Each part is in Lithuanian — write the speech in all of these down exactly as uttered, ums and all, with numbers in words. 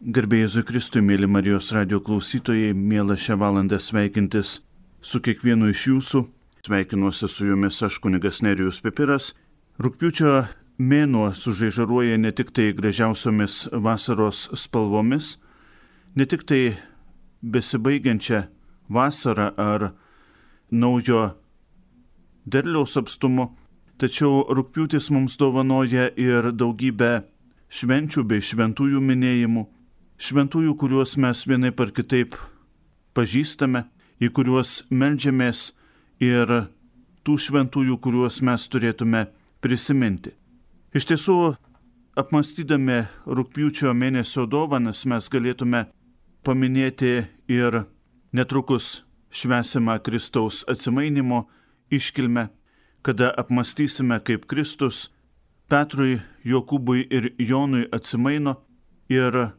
Garbė Jėzui Kristui, mėly Marijos radio klausytojai, mėla šią valandą sveikintis su kiekvienu iš jūsų. Sveikinuosi su jumis aš, kunigas Nerijus Pipiras. Rugpjūčio mėnuo sužaižaruoja ne tik tai gražiausiomis vasaros spalvomis, ne tik tai besibaigiančią vasarą ar naujo derliaus apstumu, tačiau rugpjūtis mums dovanoja ir daugybę švenčių bei šventųjų minėjimų. Šventųjų, kuriuos mes vienaip ar kitaip pažįstame, į kuriuos meldžiamės ir tų šventųjų, kuriuos mes turėtume prisiminti. Iš tiesų, apmąstydami rugpjūčio mėnesio dovanas, mes galėtume paminėti ir netrukus švęsimą Kristaus atsimainimo iškilmę, kada apmąstysime, kaip Kristus Petrui, Jokūbui ir Jonui atsimaino ir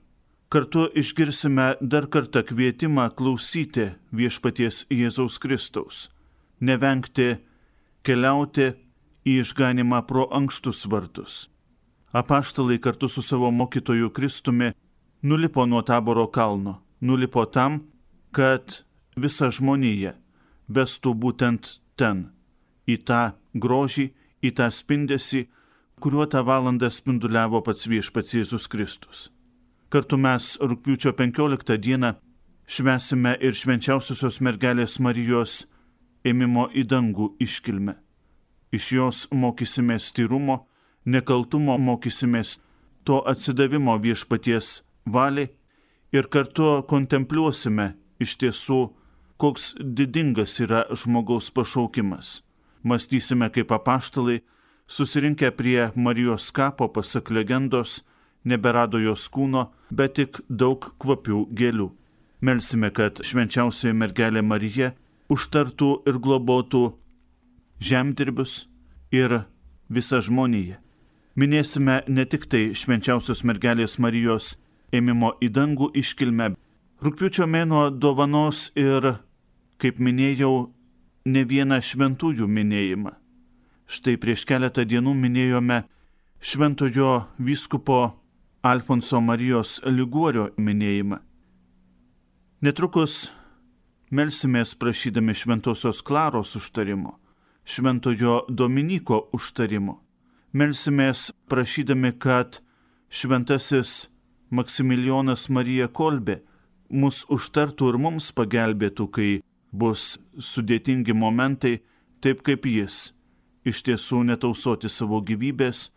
kartu išgirsime dar kartą kvietimą klausyti viešpaties Jėzaus Kristaus, nevengti keliauti į išganimą pro ankštus vartus. Apaštalai kartu su savo mokytoju Kristumi nulipo nuo Taboro kalno, nulipo tam, kad visa žmonija vestų būtent ten, į tą grožį, į tą spindesį, kuriuo tą valandą spinduliavo pats viešpats Jėzus Kristus. Kartu mes rugpjūčio penkioliktą dieną švęsime ir švenčiausiosios mergelės Marijos ėmimo į dangų iškilmę. Iš jos mokysimės tyrumo, nekaltumo mokysimės to atsidavimo viešpaties valiai ir kartu kontempliuosime iš tiesų, koks didingas yra žmogaus pašaukimas. Mąstysime kaip apaštalai, susirinkę prie Marijos kapo, pasak legendos, neberado jos kūno, bet tik daug kvapių gėlių. Melsime, kad švenčiausioji mergelė Marija užtartų ir globotų žemdirbius ir visą žmoniją. Minėsime ne tik tai švenčiausios mergelės Marijos ėmimo į dangų iškilmę. Rugpjūčio mėnuo dovanos ir, kaip minėjau, ne vieną šventųjų minėjimą. Štai prieš keletą dienų minėjome šventojo vyskupo Alfonso Marijos Liguorio minėjimą. Netrukus melsimės prašydami šventosios Klaros užtarimo, šventojo Dominyko užtarimo. Melsimės prašydami, kad šventasis Maksimilijonas Marija Kolbė mus užtartų ir mums pagelbėtų, kai bus sudėtingi momentai, taip kaip jis, iš tiesų netausoti savo gyvybės,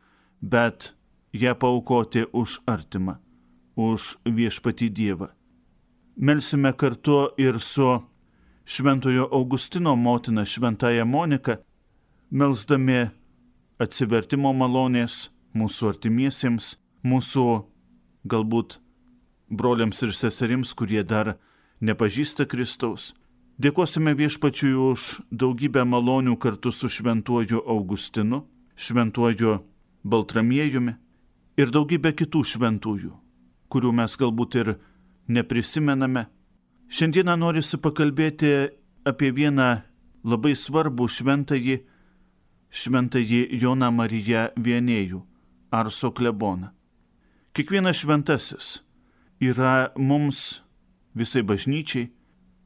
bet ją paaukoti už artimą, už viešpatį Dievą. Melsime kartu ir su šventojo Augustino motina šventaja Monika, melsdami atsivertimo malonės mūsų artimiesiems, mūsų galbūt broliams ir seserims, kurie dar nepažįsta Kristaus. Dėkosime viešpačiui už daugybę malonių kartu su šventuoju Augustinu, šventuoju Baltramiejumi ir daugybę kitų šventųjų, kurių mes galbūt ir neprisimename. Šiandieną norisi pakalbėti apie vieną labai svarbų šventąjį, šventąjį Joną Mariją Vienėjų, Arso kleboną. Kiekvienas šventasis yra mums, visai bažnyčiai,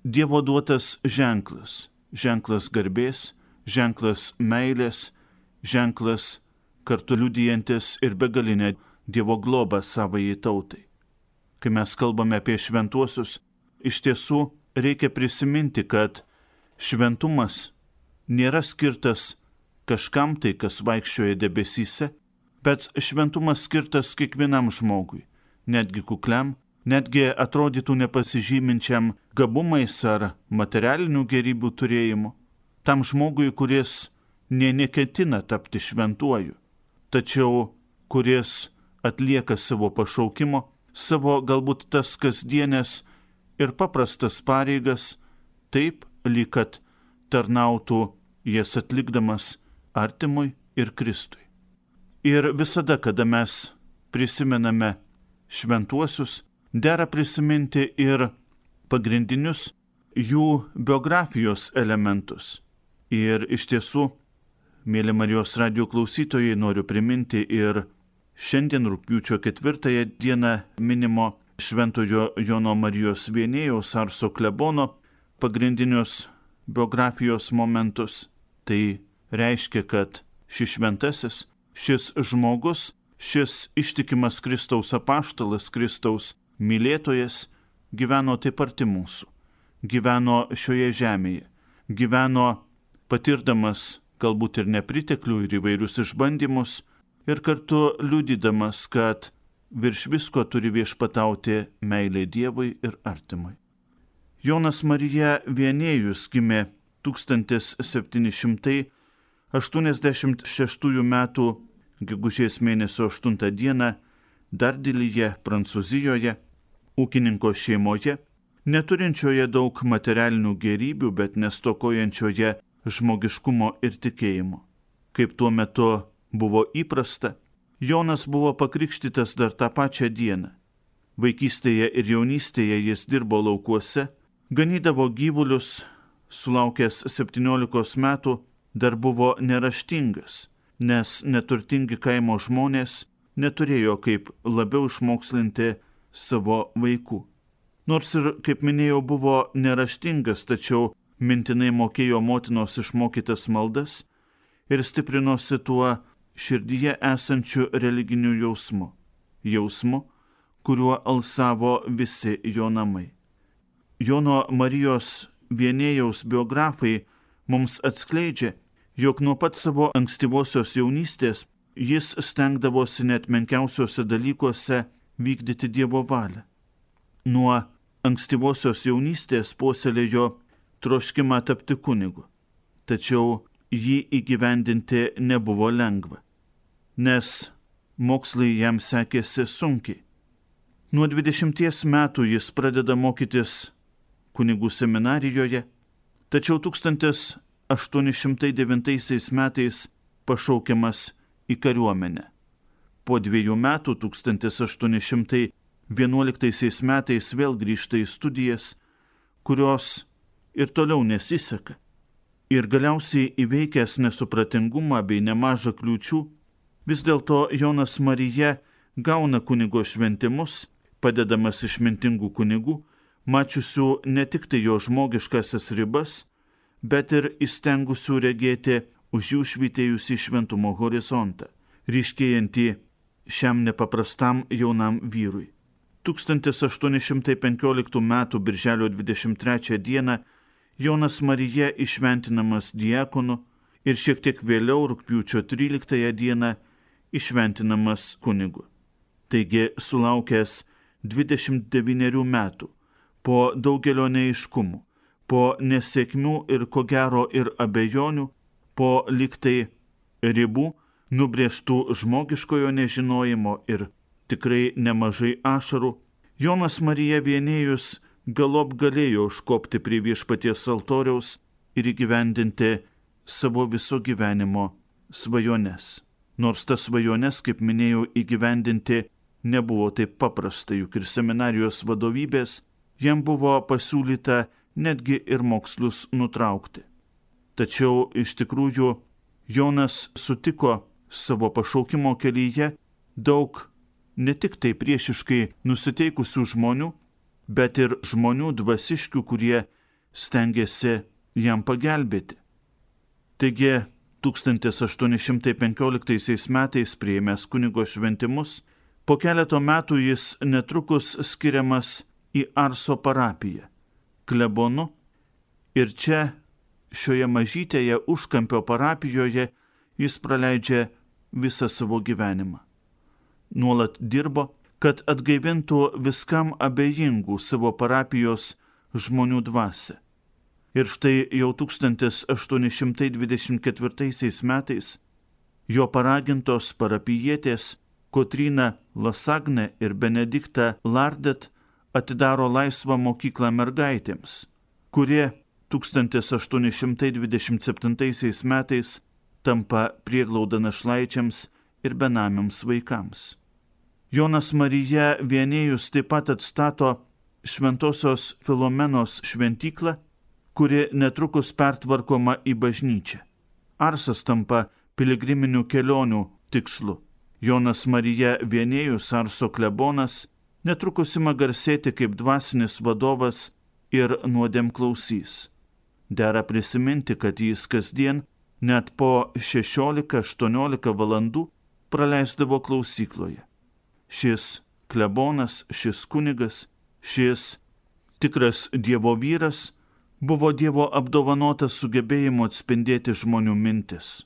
Dievo duotas ženklas, ženklas garbės, ženklas meilės, ženklas kartu liudijantis ir begalinę Dievo globą savai tautai. Kai mes kalbame apie šventuosius, iš tiesų reikia prisiminti, kad šventumas nėra skirtas kažkam tai, kas vaikščioja debesyse, bet šventumas skirtas kiekvienam žmogui, netgi kukliam, netgi atrodytų nepasižyminčiam gabumais ar materialinių gėrybių turėjimu, tam žmogui, kuris nė neketina tapti šventuoju, tačiau kuris atlieka savo pašaukimo, savo galbūt tas kasdienės ir paprastas pareigas, taip, lyg kad tarnautų jas atlikdamas artimui ir Kristui. Ir visada, kada mes prisimename šventuosius, dera prisiminti ir pagrindinius jų biografijos elementus. Ir iš tiesų, mėly Marijos radio klausytojai, noriu priminti ir šiandien rugpjūčio ketvirtąją dieną minimo Šventojo Jono Marijos Vienėjaus Arso klebono pagrindinius biografijos momentus. Tai reiškia, kad šis šventasis, šis žmogus, šis ištikimas Kristaus apaštalas, Kristaus mylėtojas gyveno taip arti mūsų, gyveno šioje žemėje, gyveno patirdamas galbūt ir nepriteklių, ir įvairius išbandymus, ir kartu liudydamas, kad virš visko turi viešpatauti meilė Dievui ir artimui. Jonas Marija Vienėjus gimė tūkstantis septyni šimtai aštuoniasdešimt šeštųjų metų gegužės mėnesio aštuntą dieną Dardilyje, Prancūzijoje, ūkininko šeimoje, neturinčioje daug materialinių gėrybių, bet nestokojančioje žmogiškumo ir tikėjimo. Kaip tuo metu buvo įprasta, Jonas buvo pakrikštytas dar tą pačią dieną. Vaikystėje ir jaunystėje jis dirbo laukuose, ganydavo gyvulius, sulaukęs septyniolikos metų dar buvo neraštingas, nes neturtingi kaimo žmonės neturėjo kaip labiau išmokslinti savo vaikų. Nors ir, kaip minėjau, buvo neraštingas, tačiau mintinai mokėjo motinos išmokytas maldas ir stiprinosi tuo širdyje esančiu religiniu jausmu, jausmu, kuriuo alsavo visi jo namai. Jono Marijos Vienėjaus biografai mums atskleidžia, jog nuo pat savo ankstyvosios jaunystės jis stengdavosi net menkiausiuose dalykuose vykdyti Dievo valią. Nuo ankstyvosios jaunystės puoselėjo troškimą tapti kunigu, tačiau jį įgyvendinti nebuvo lengva, nes mokslai jam sekėsi sunkiai. Nuo dvidešimties metų jis pradeda mokytis kunigų seminarijoje, tačiau tūkstantis aštuoni šimtai devintaisiais metais pašaukiamas į kariuomenę. Po dviejų metų tūkstantis aštuoni šimtai vienuoliktaisiais metais vėl grįžta į studijas, kurios ir toliau nesiseka. Ir galiausiai įveikęs nesupratingumą bei nemažą kliūčių, vis dėlto Jonas Marija gauna kunigo šventimus, padedamas išmintingų kunigų, mačiusių ne tik tai jo žmogiškasias ribas, bet ir įstengusių regėti už jų švytėjusį šventumo horizontą, ryškėjantį šiam nepaprastam jaunam vyrui. tūkstantis aštuoni šimtai penkioliktų metų birželio dvidešimt trečią dieną Jonas Marija išventinamas diakonu ir šiek tiek vėliau rugpjūčio tryliktąją dieną išventinamas kunigu. Taigi, sulaukęs dvidešimt devynerių metų, po daugelio neaiškumų, po nesėkmių ir ko gero ir abejonių, po liktai ribų, nubrėžtų žmogiškojo nežinojimo ir tikrai nemažai ašarų, Jonas Marija Vienėjus galop galėjo užkopti prie viešpaties altoriaus ir įgyvendinti savo viso gyvenimo svajones. Nors tas svajones, kaip minėjau, įgyvendinti nebuvo taip paprasta, juk ir seminarijos vadovybės jam buvo pasiūlyta netgi ir mokslus nutraukti. Tačiau iš tikrųjų Jonas sutiko savo pašaukimo kelyje daug ne tik tai priešiškai nusiteikusių žmonių, bet ir žmonių dvasiškių, kurie stengiasi jam pagelbėti. Taigi, tūkstantis aštuoni šimtai penkioliktaisiais metais priėmęs kunigo šventimus, po keleto metų jis netrukus skiriamas į Arso parapiją, klebonu, ir čia, šioje mažytėje užkampio parapijoje, jis praleidžia visą savo gyvenimą. Nuolat dirbo, kad atgaivintų viskam abejingų savo parapijos žmonių dvasią. Ir štai jau tūkstantis aštuoni šimtai dvidešimt ketvirtaisiais metais jo paragintos parapijietės Kotryna Lasagne ir Benedikta Lardet atidaro laisvą mokyklą mergaitėms, kurie tūkstantis aštuoni šimtai dvidešimt septintaisiais metais tampa prieglauda našlaičiams ir benamiams vaikams. Jonas Marija Vienėjus taip pat atstato Šventosios Filomenos šventyklą, kuri netrukus pertvarkoma į bažnyčią. Arsas tampa piligriminių kelionių tikslu. Jonas Marija Vienėjus, Arso klebonas, netrukus ima garsėti kaip dvasinis vadovas ir nuodėmklausys. Dera prisiminti, kad jis kasdien net po šešiolika aštuoniolika valandų praleisdavo klausykloje. Šis klebonas, šis kunigas, šis tikras Dievo vyras buvo Dievo apdovanotas sugebėjimu atspindėti žmonių mintis.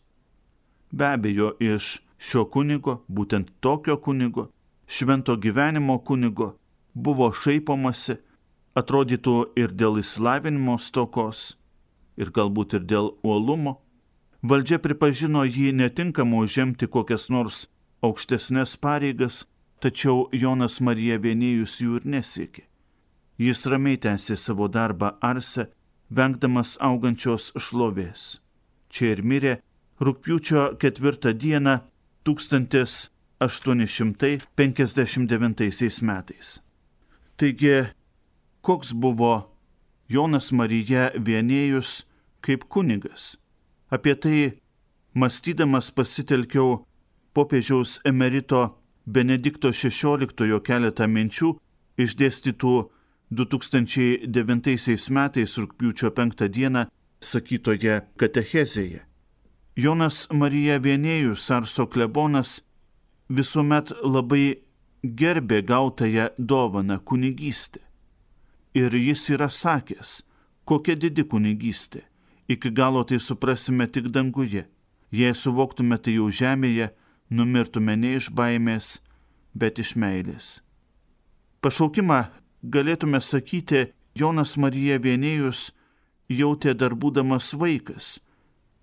Be abejo, iš šio kunigo, būtent tokio kunigo, švento gyvenimo kunigo, buvo šaipomasi, atrodytų ir dėl išsilavinimo stokos, ir galbūt ir dėl uolumo. Valdžia pripažino jį netinkamu užimti kokias nors aukštesnės pareigas, tačiau Jonas Marija Vienėjus jų ir nesiekė. Jis ramiai tęsė savo darbą Arse, vengdamas augančios šlovės. Čia ir mirė rugpjūčio ketvirtą dieną tūkstantis aštuoni šimtai penkiasdešimt devintaisiais metais. Taigi, koks buvo Jonas Marija Vienėjus kaip kunigas? Apie tai mąstydamas pasitelkiau popiežiaus emerito Benedikto šešioliktojo keletą minčių išdėstytų du tūkstančiai devintaisiais metais rugpjūčio penktą dieną sakytoje katechezėje. Jonas Marija Vienėjus, Arso klebonas, visuomet labai gerbė gautąją dovaną kunigystę. Ir jis yra sakęs, kokia didi kunigystė. Iki galo tai suprasime tik danguje. Jei suvoktume tai jau žemėje, numirtume ne iš baimės, bet iš meilės. Pašaukimą galėtume sakyti, Jonas Marija Vienėjus jautė dar būdamas vaikas.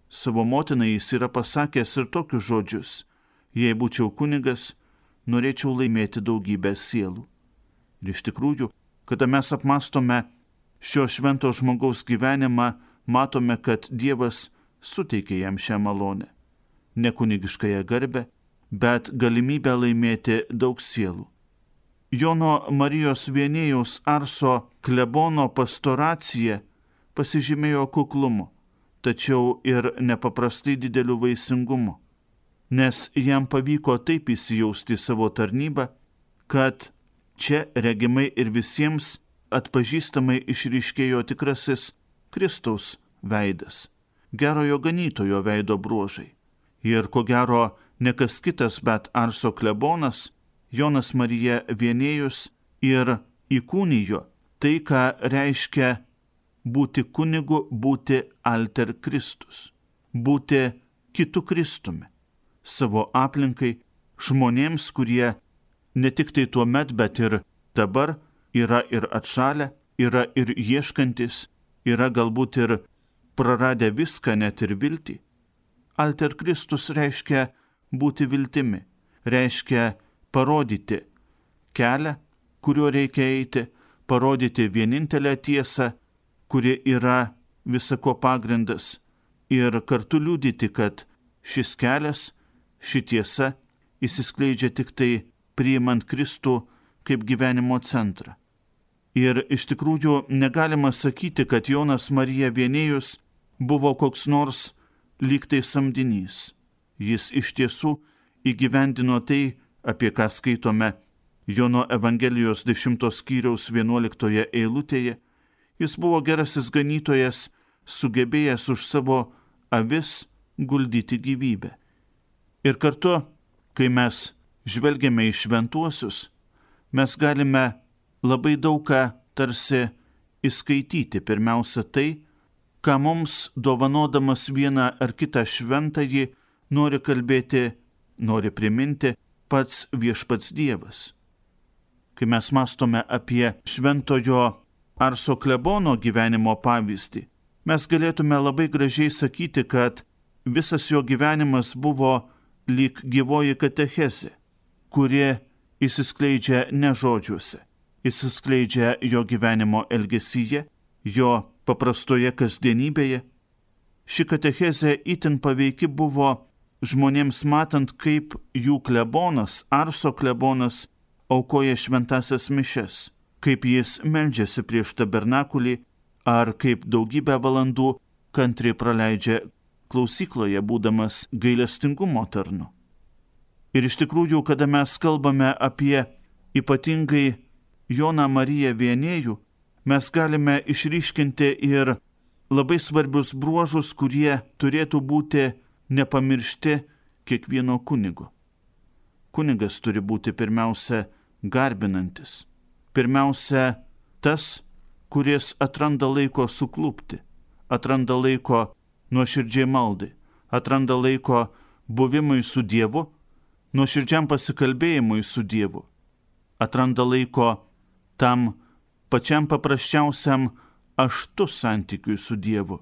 Savo motinai jis yra pasakęs ir tokius žodžius: jei būčiau kunigas, norėčiau laimėti daugybę sielų. Ir iš tikrųjų, kada mes apmastome šio švento žmogaus gyvenimą, matome, kad Dievas suteikė jam šią malonę. Ne kunigiškąją garbę, bet galimybę laimėti daug sielų. Jono Marijos Vienėjaus Arso klebono pastoracija pasižymėjo kuklumu, tačiau ir nepaprastai dideliu vaisingumu, nes jam pavyko taip įsijausti savo tarnybą, kad čia regimai ir visiems atpažįstamai išryškėjo tikrasis Kristaus veidas, gerojo ganytojo veido bruožai. Ir ko gero ne kas kitas, bet Arso klebonas, Jonas Marija Vienėjus, ir įkūnijo tai, ką reiškia būti kunigu, būti alter Kristus, būti kitu Kristumi, savo aplinkai, žmonėms, kurie ne tik tai tuo met, bet ir dabar yra ir atšalę, yra ir ieškantis, yra galbūt ir praradę viską, net ir viltį. Alter Kristus reiškia būti viltimi, reiškia parodyti kelią, kuriuo reikia eiti, parodyti vienintelę tiesą, kuri yra visako pagrindas, ir kartu liudyti, kad šis kelias, ši tiesa įsiskleidžia tik tai priimant Kristų kaip gyvenimo centrą. Ir iš tikrųjų negalima sakyti, kad Jonas Marija Vienėjus buvo koks nors lyg tai samdinys. Jis iš tiesų įgyvendino tai, apie ką skaitome Jono Evangelijos dešimtos skyriaus vienuoliktoje eilutėje. Jis buvo gerasis ganytojas, sugebėjęs už savo avis guldyti gyvybę. Ir kartu, kai mes žvelgiame į šventuosius, mes galime labai daug ką tarsi įskaityti. Pirmiausia tai, ką mums dovanodamas vieną ar kitą šventąjį nori kalbėti, nori priminti pats viešpats Dievas. Kai mes mąstome apie šventojo Arso klebono gyvenimo pavyzdį, mes galėtume labai gražiai sakyti, kad visas jo gyvenimas buvo lyg gyvoji katechezė, kuri įsiskleidžia ne žodžiuose, įsiskleidžia jo gyvenimo elgesyje, jo paprastoje kasdienybėje. Ši katechezė itin paveiki buvo žmonėms matant, kaip jų klebonas, Arso klebonas, aukoja šventasias mišes, kaip jis meldžiasi prieš tabernakulį, ar kaip daugybę valandų kantriai praleidžia klausykloje, būdamas gailestingumo tarnu. Ir iš tikrųjų, kada mes kalbame apie ypatingai Joną Mariją Vienėjų, mes galime išryškinti ir labai svarbius bruožus, kurie turėtų būti nepamiršti kiekvieno kunigo. Kunigas turi būti pirmiausia garbinantis. Pirmiausia tas, kuris atranda laiko suklupti, atranda laiko nuoširdžiai maldai, atranda laiko buvimui su Dievu, nuoširdžiam pasikalbėjimui su Dievu, atranda laiko tam pačiam paprasčiausiam aštu santykiui su Dievu.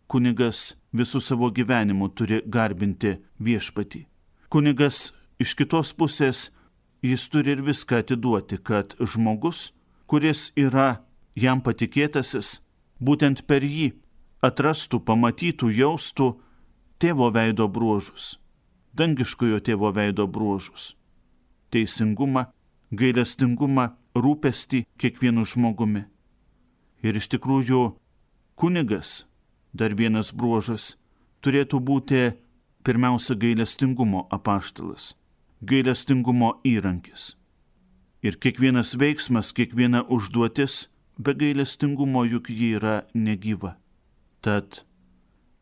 Kunigas visų savo gyvenimu turi garbinti viešpatį. Kunigas iš kitos pusės, jis turi ir viską atiduoti, kad žmogus, kuris yra jam patikėtasis, būtent per jį atrastų, pamatytų, jaustų tėvo veido bruožus, dangiškojo tėvo veido bruožus, teisingumą, gailestingumą, rūpestį kiekvienu žmogumi. Ir iš tikrųjų kunigas, dar vienas bruožas, turėtų būti pirmiausia gailestingumo apaštalas, gailestingumo įrankis. Ir kiekvienas veiksmas, kiekviena užduotis be gailestingumo juk ji yra negyva. Tad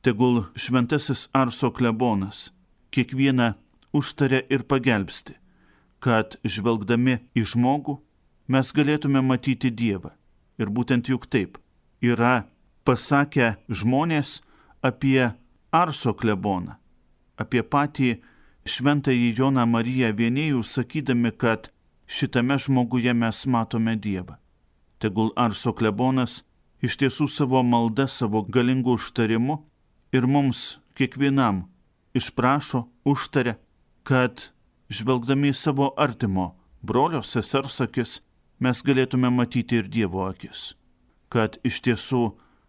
tegul šventasis Arso klebonas kiekvieną užtaria ir pagelbsti, kad žvelgdami į žmogų mes galėtume matyti Dievą. Ir būtent juk taip yra pasakę žmonės apie Arso kleboną, apie patį šventąjį Joną Mariją Vienėjų, sakydami, kad šitame žmoguje mes matome Dievą. Tegul Arso klebonas iš tiesų savo malda, savo galingu užtarimu ir mums kiekvienam išprašo, užtaria, kad žvelgdami į savo artimo brolio, sesers akis, mes galėtume matyti ir Dievo akis, kad iš tiesų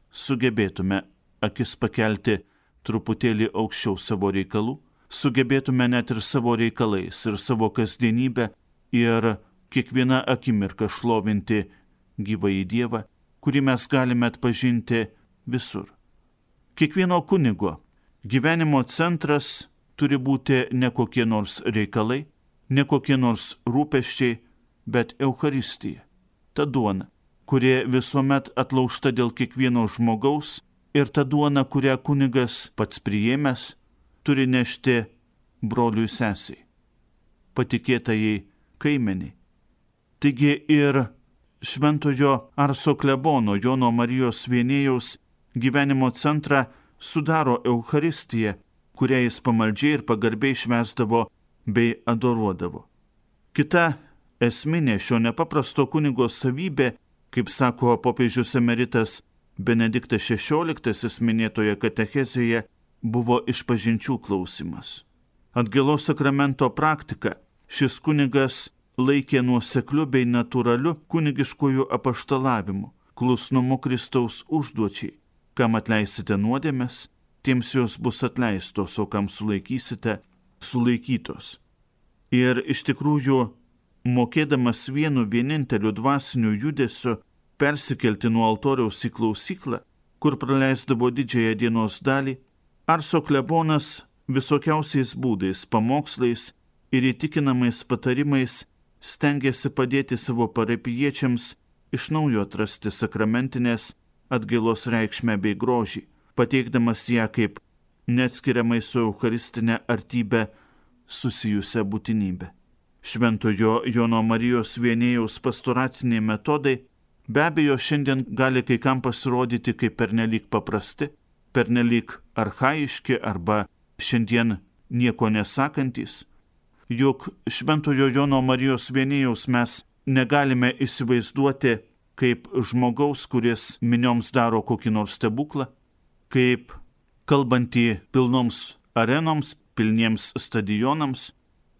sugebėtume akis pakelti truputėlį aukščiau savo reikalų, sugebėtume net ir savo reikalais ir savo kasdienybę ir kiekvieną akimirką šlovinti gyvąjį Dievą, kurį mes galime atpažinti visur. Kiekvieno kunigo gyvenimo centras turi būti ne kokie nors reikalai, ne kokie nors rūpesčiai, bet Eucharistija, ta duona, kuri visuomet atlaužta dėl kiekvieno žmogaus, ir ta duona, kurią kunigas pats priėmęs, turi nešti broliui sesiai, patikėtajai kaimeniai. Taigi ir šventojo Arso klebono Jono Marijos Vienėjaus gyvenimo centrą sudaro Eucharistija, kurią jis pamaldžiai ir pagarbiai švęsdavo bei adoruodavo. Kita esminė šio nepaprasto kunigo savybė, kaip sako popiežius emeritas Benediktas šešioliktasis minėtoje katechezėje, buvo išpažinčių klausimas. Atgailos sakramento praktika šis kunigas laikė nuosekliu bei natūraliu kunigiškojų apaštalavimu, klusnumu Kristaus užduočiai. Kam atleisite nuodėmes, tiems jos bus atleistos, o kam sulaikysite, sulaikytos. Ir iš tikrųjų, mokėdamas vienu vieninteliu dvasiniu judesiu persikelti nuo altoriaus į klausyklą, kur praleisdavo didžiąją dienos dalį, Arso klebonas visokiausiais būdais, pamokslais ir įtikinamais patarimais stengėsi padėti savo parapijiečiams iš naujo atrasti sakramentinės atgailos reikšmę bei grožį, pateikdamas ją kaip neatskiriamai su eucharistinė artybė susijusią būtinybę. Šventojo Jono Marijos Vienėjaus pastoraciniai metodai be abejo šiandien gali kai kam pasirodyti kaip pernelyg paprasti, pernelyg archaiški arba šiandien nieko nesakantys. Juk šventojo Jono Marijos Vienėjaus mes negalime įsivaizduoti kaip žmogaus, kuris minioms daro kokį nors stebuklą, kaip kalbantį pilnoms arenoms, pilniems stadionams.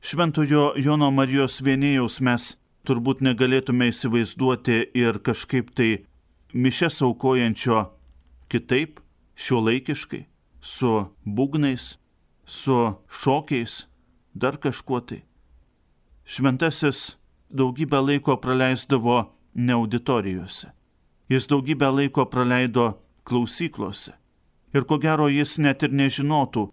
Šventojo Jono Marijos Vienėjaus mes turbūt negalėtume įsivaizduoti ir kažkaip tai mišias aukojančio kitaip, šiuolaikiškai, su būgnais, su šokiais, dar kažkuo tai. Šventasis daugybę laiko praleisdavo ne auditorijose. Jis daugybę laiko praleido klausyklose. Ir ko gero jis net ir nežinotų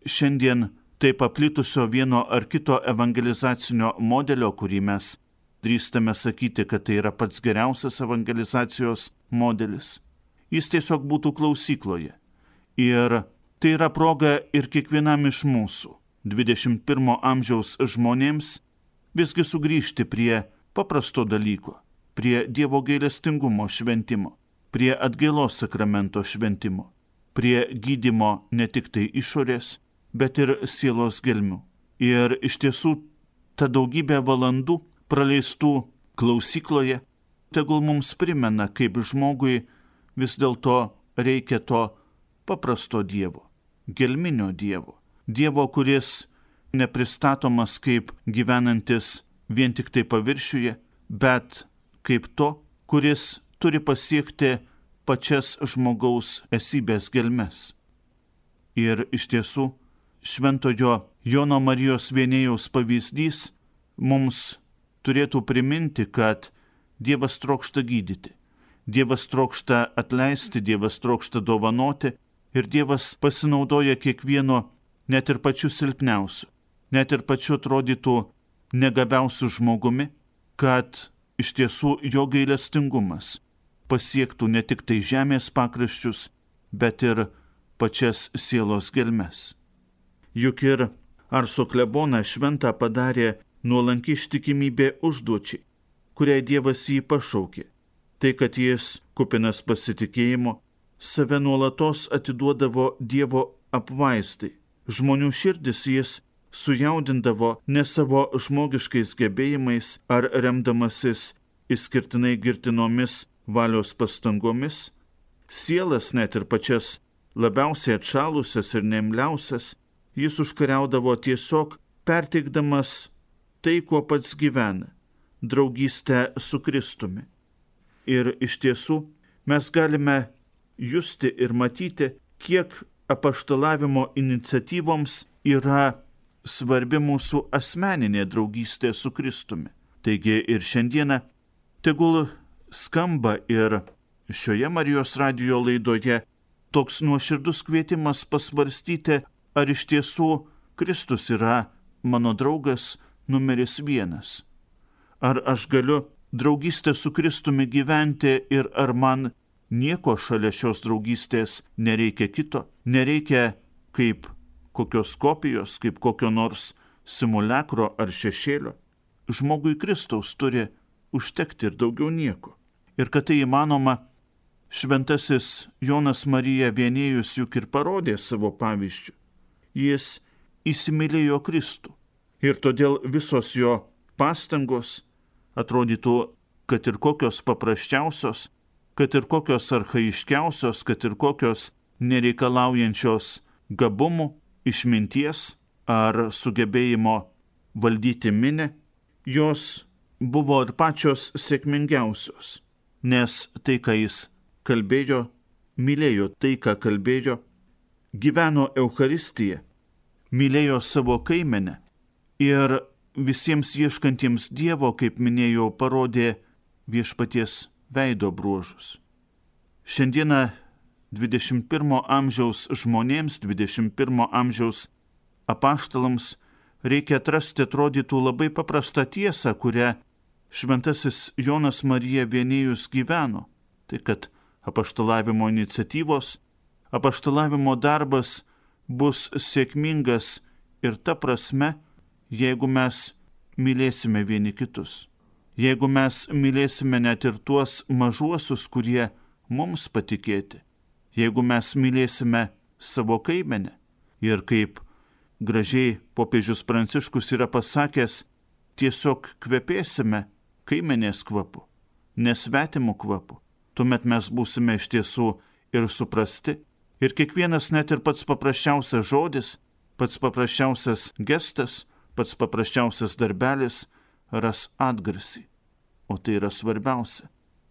šiandien taip paplitusio vieno ar kito evangelizacinio modelio, kurį mes drįstame sakyti, kad tai yra pats geriausias evangelizacijos modelis. Jis tiesiog būtų klausykloje. Ir tai yra proga ir kiekvienam iš mūsų, dvidešimt pirmo amžiaus žmonėms, visgi sugrįžti prie paprasto dalyko, prie Dievo gailestingumo šventimo, prie atgailos sakramento šventimo, prie gydymo ne tik tai išorės, bet ir sielos gelmių. Ir iš tiesų ta daugybė valandų praleistų klausykloje tegul mums primena, kaip žmogui vis dėlto reikia to paprasto Dievo, gelminio Dievo, Dievo, kuris nepristatomas kaip gyvenantis vien tik tai paviršiuje, bet kaip to, kuris turi pasiekti pačias žmogaus esybės gelmes. Ir iš tiesų, šventojo Jono Marijos Vienėjaus pavyzdys mums turėtų priminti, kad Dievas trokšta gydyti, Dievas trokšta atleisti, Dievas trokšta dovanoti ir Dievas pasinaudoja kiekvieno, net ir pačiu silpniausiu, net ir pačiu atrodytų negabiausiu žmogumi, kad iš tiesų jo gailestingumas pasiektų ne tik tai žemės pakraščius, bet ir pačias sielos gelmes. Juk ir Arso kleboną šventą padarė nuolanki ištikimybė užduočiai, kuriai Dievas jį pašaukė. Tai, kad jis, kupinas pasitikėjimo, save nuolatos atiduodavo Dievo apvaiztai. Žmonių širdis jis sujaudindavo ne savo žmogiškais gebėjimais ar remdamasis išskirtinai girtinomis valios pastangomis. Sielas, net ir pačias labiausiai atšalusias ir neimliausias, jis užkariaudavo tiesiog perteikdamas tai, kuo pats gyvena, draugystę su Kristumi. Ir iš tiesų mes galime justi ir matyti, kiek apaštalavimo iniciatyvoms yra svarbi mūsų asmeninė draugystė su Kristumi. Taigi ir šiandieną tegul skamba ir šioje Marijos radijo laidoje toks nuoširdus kvietimas pasvarstyti, ar iš tiesų Kristus yra mano draugas numeris vienas. Ar aš galiu draugystę su Kristumi gyventi ir ar man nieko šalia šios draugystės nereikia kito, nereikia kaip kokios kopijos, kaip kokio nors simulakro ar šešėlio. Žmogui Kristaus turi užtekti ir daugiau nieko. Ir kad tai įmanoma, šventasis Jonas Marija Vienėjus juk ir parodė savo pavyzdžių. Jis įsimylėjo Kristų. Ir todėl visos jo pastangos atrodytų, kad ir kokios paprasčiausios, kad ir kokios archaiškiausios, kad ir kokios nereikalaujančios gabumų, išminties ar sugebėjimo valdyti minę, jos buvo ir pačios sėkmingiausios, nes tai, ką jis kalbėjo, mylėjo tai, ką kalbėjo, gyveno Eucharistiją, mylėjo savo kaimenę ir visiems ieškantiems Dievo, kaip minėjau, parodė viešpaties veido bruožus. Šiandieną dvidešimt pirmo amžiaus žmonėms, dvidešimt pirmo amžiaus apaštalams reikia atrasti atrodytų labai paprastą tiesą, kurią šventasis Jonas Marija Vienėjus gyveno. Tai kad apaštalavimo iniciatyvos, apaštalavimo darbas bus sėkmingas ir ta prasme, jeigu mes mylėsime vieni kitus. Jeigu mes mylėsime net ir tuos mažuosius, kurie mums patikėti. Jeigu mes mylėsime savo kaimenę. Ir kaip gražiai popiežius Pranciškus yra pasakęs, tiesiog kvepėsime kaimenės kvapu, nesvetimų kvapu. Tuomet mes būsime iš tiesų ir suprasti. Ir kiekvienas net ir pats paprasčiausias žodis, pats paprasčiausias gestas, pats paprasčiausias darbelis ras atgarsį. O tai yra svarbiausia,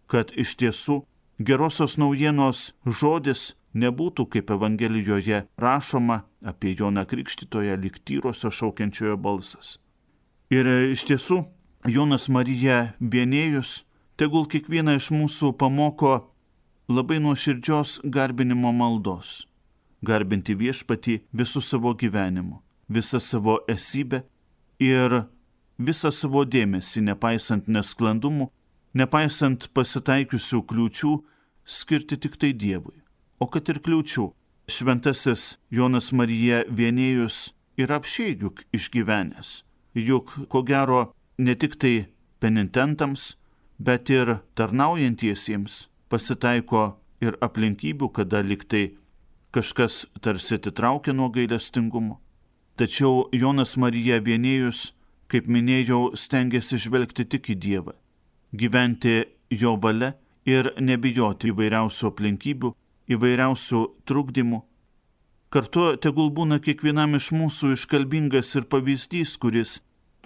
kad iš tiesų gerosios naujienos žodis nebūtų kaip Evangelijoje rašoma apie Joną Krikštytoją lyg tyrosio šaukiančiojo balsas. Ir iš tiesų Jonas Marija Vienėjus tegul kiekvieną iš mūsų pamoko labai nuoširdžios garbinimo maldos. Garbinti viešpatį visų savo gyvenimu, visą savo esybę ir visą savo dėmesį, nepaisant nesklandumų, nepaisant pasitaikiusių kliūčių, skirti tik tai Dievui. O kad ir kliūčių, šventasis Jonas Marija Vienėjus yra apsčiai juk išgyvenęs. Juk, ko gero, ne tik tai penitentams, bet ir tarnaujantiesiems pasitaiko ir aplinkybių, kada liktai kažkas tarsi atitraukia nuo gailestingumo. Tačiau Jonas Marija Vienėjus, kaip minėjau, stengiasi žvelgti tik į Dievą, gyventi jo valia ir nebijoti įvairiausių aplinkybių, įvairiausių trukdymų. Kartu tegul būna kiekvienam iš mūsų iškalbingas ir pavyzdys, kuris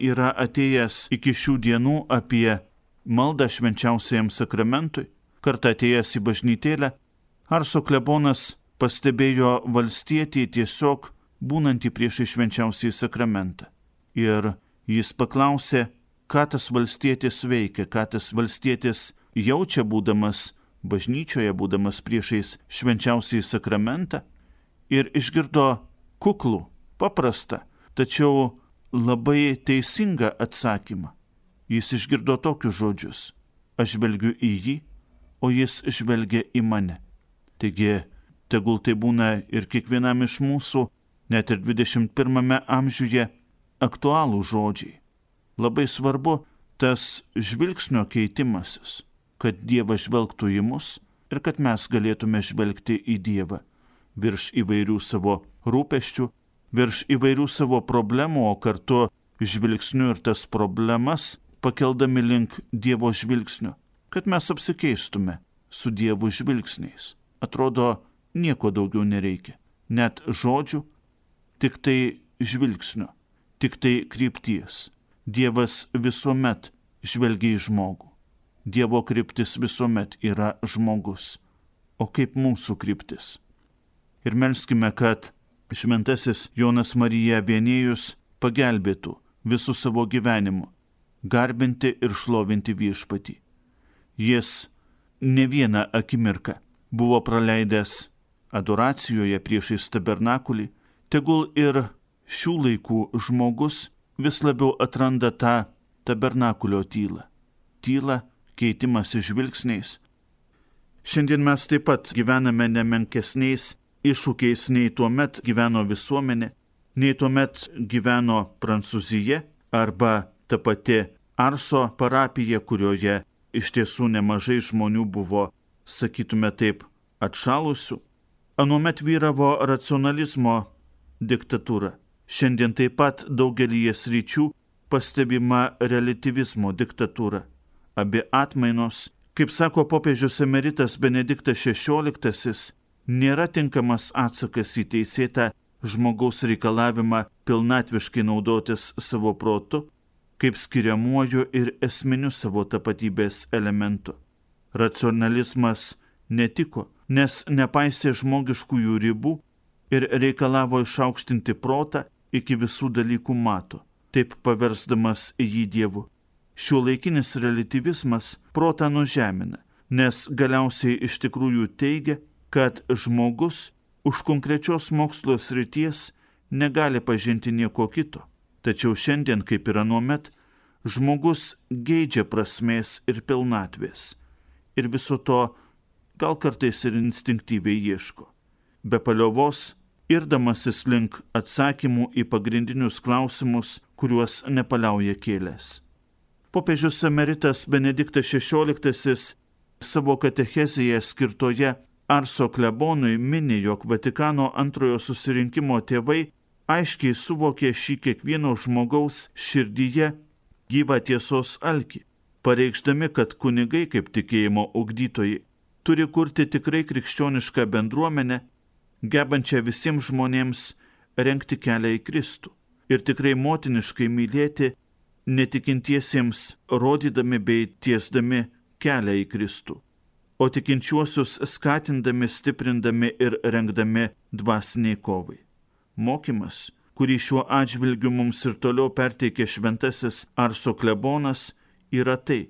yra atėjęs iki šių dienų apie maldą švenčiausiajam sakramentui, kartą atėjęs į bažnytėlę, Arso klebonas pastebėjo valstietį tiesiog būnantį priešai švenčiausiąjį sakramentą. Ir jis paklausė, ką tas valstietis veikia, ką tas valstietis jaučia būdamas bažnyčioje, būdamas priešais švenčiausiąjį sakramentą, ir išgirdo kuklų, paprastą, tačiau labai teisingą atsakymą. Jis išgirdo tokius žodžius: aš žvelgiu į jį, o jis žvelgia į mane. Taigi, tegul tai būna ir kiekvienam iš mūsų, net ir dvidešimt pirmame amžiuje, aktualų žodžiai. Labai svarbu tas žvilgsnio keitimasis, kad Dievas žvelgtų į mus ir kad mes galėtume žvelgti į Dievą virš įvairių savo rūpesčių, virš įvairių savo problemų, o kartu žvilgsniu ir tas problemas pakeldami link Dievo žvilgsnio, kad mes apsikeistume su Dievo žvilgsniais. Atrodo, nieko daugiau nereikia. Net žodžių, tik tai žvilgsnio, tik tai krypties. Dievas visuomet žvelgia į žmogų. Dievo kryptis visuomet yra žmogus. O kaip mūsų kryptis? Ir melskime, kad šventasis Jonas Marija Vienėjus pagelbėtų visų savo gyvenimu garbinti ir šlovinti viešpatį. Jis ne vieną akimirką buvo praleidęs adoracijoje priešais tabernakulį, tegul ir šių laikų žmogus vis labiau atranda tą tabernakulio tylą. Tylą, keitimąsi žvilgsniais. Šiandien mes taip pat gyvename nemenkesniais iššūkiais nei tuomet gyveno visuomenė, nei tuomet gyveno Prancūzija arba ta pati Arso parapija, kurioje iš tiesų nemažai žmonių buvo, sakytume taip, atšalusių. Anuomet vyravo racionalizmo diktatūra. Šiandien taip pat daugelyje sričių pastebima reliatyvizmo diktatūra. Abi atmainos, kaip sako popiežius emeritas Benediktas šešioliktasis, nėra tinkamas atsakas į teisėtą žmogaus reikalavimą pilnatviškai naudotis savo protu, kaip skiriamuoju ir esminiu savo tapatybės elementu. Racionalizmas netiko, nes nepaisė žmogiškųjų ribų ir reikalavo išaukštinti protą iki visų dalykų mato, taip paversdamas jį Dievu. Šiuolaikinis reliatyvizmas protą nužemina, nes galiausiai iš tikrųjų teigia, kad žmogus už konkrečios mokslo srities negali pažinti nieko kito. Tačiau šiandien, kaip ir anuomet, žmogus geidžia prasmės ir pilnatvės. Ir viso to gal kartais ir instinktyviai ieško. Be paliovos, irdamasis link atsakymų į pagrindinius klausimus, kuriuos nepaliauja kėlęs. Popiežius emeritas Benediktas šešioliktasis savo katechezėje skirtoje Arso klebonui mini, jog Vatikano antrojo susirinkimo tėvai aiškiai suvokė šį kiekvieno žmogaus širdyje gyvą tiesos alkį, pareikšdami, kad kunigai kaip tikėjimo ugdytojai turi kurti tikrai krikščionišką bendruomenę, gebančią visiems žmonėms rengti kelią į Kristų ir tikrai motiniškai mylėti netikintiesiems, rodydami bei tiesdami kelią į Kristų, o tikinčiuosius skatindami, stiprindami ir rengdami dvasiniai kovai. Mokymas, kurį šiuo atžvilgiu mums ir toliau perteikė šventasis Arso klebonas, yra tai,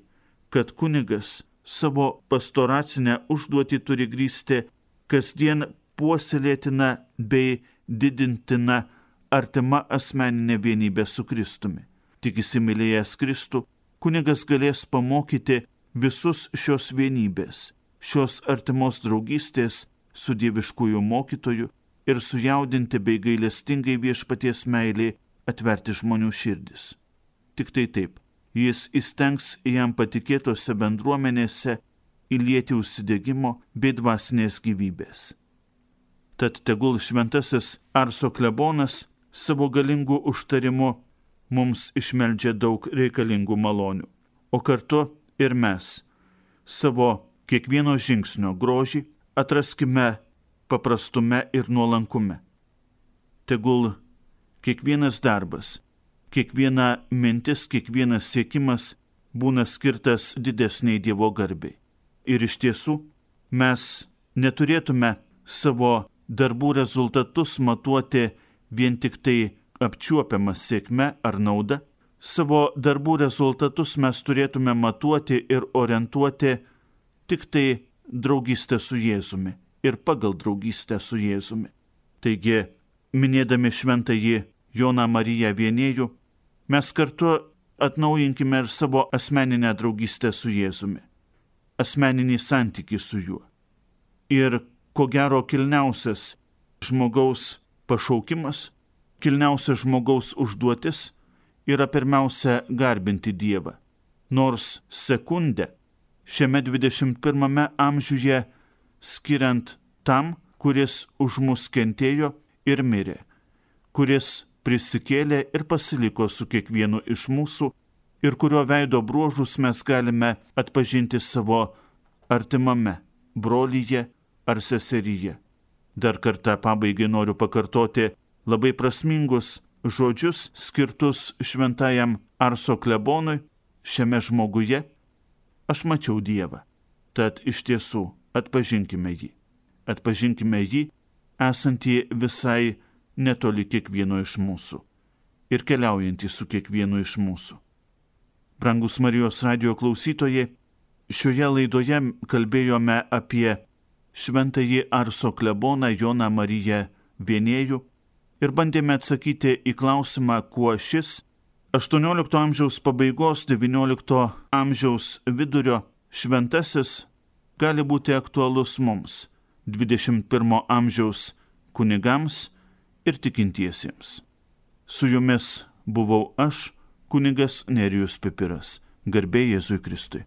kad kunigas savo pastoracinę užduotį turi grįsti kasdien puoselėtina bei didintina artima asmeninė vienybė su Kristumi. Tik įsimylėjęs Kristų, kunigas galės pamokyti visus šios vienybės, šios artimos draugystės su dieviškųjų mokytoju ir sujaudinti bei gailestingai viešpaties meilė atverti žmonių širdis. Tik tai taip, jis įstengs jam patikėtose bendruomenėse įlieti užsidegimo bei dvasinės gyvybės. Tad tegul šventasis Arso klebonas savo galingų užtarimu mums išmeldžia daug reikalingų malonių, o kartu ir mes savo kiekvieno žingsnio grožį atraskime paprastume ir nuolankume. Tegul kiekvienas darbas, kiekviena mintis, kiekvienas siekimas būna skirtas didesniai Dievo garbei. Ir iš tiesų mes neturėtume savo darbų rezultatus matuoti vien tik tai apčiuopiamą sėkmę ar naudą. Savo darbų rezultatus mes turėtume matuoti ir orientuoti tik tai draugystę su Jėzumi ir pagal draugystę su Jėzumi. Taigi, minėdami šventąjį Joną Mariją Vienėjų, mes kartu atnaujinkime ir savo asmeninę draugystę su Jėzumi, asmeninį santykį su juo. Ir ko gero kilniausias žmogaus pašaukimas, kilniausias žmogaus užduotis yra pirmiausia garbinti Dievą. Nors sekundę šiame dvidešimt pirmame amžiuje skiriant tam, kuris už mus kentėjo ir mirė, kuris prisikėlė ir pasiliko su kiekvienu iš mūsų ir kurio veido bruožus mes galime atpažinti savo artimame, brolyje ar seseryje. Dar kartą pabaigai noriu pakartoti labai prasmingus žodžius skirtus šventajam Arso klebonui šiame žmoguje. Aš mačiau Dievą, tad iš tiesų atpažinkime jį. Atpažinkime jį, esantį visai netoli kiekvieno iš mūsų ir keliaujantį su kiekvienu iš mūsų. Brangus Marijos radijo klausytojai, šioje laidoje kalbėjome apie šventąjį Arso kleboną Joną Mariją Vienėjų ir bandėme atsakyti į klausimą, kuo šis aštuoniolikto amžiaus pabaigos, devyniolikto amžiaus vidurio šventasis gali būti aktualus mums, dvidešimt pirmo amžiaus kunigams ir tikintiesiems. Su jumis buvau aš, kunigas Nerijus Pipiras. Garbė Jėzui Kristui.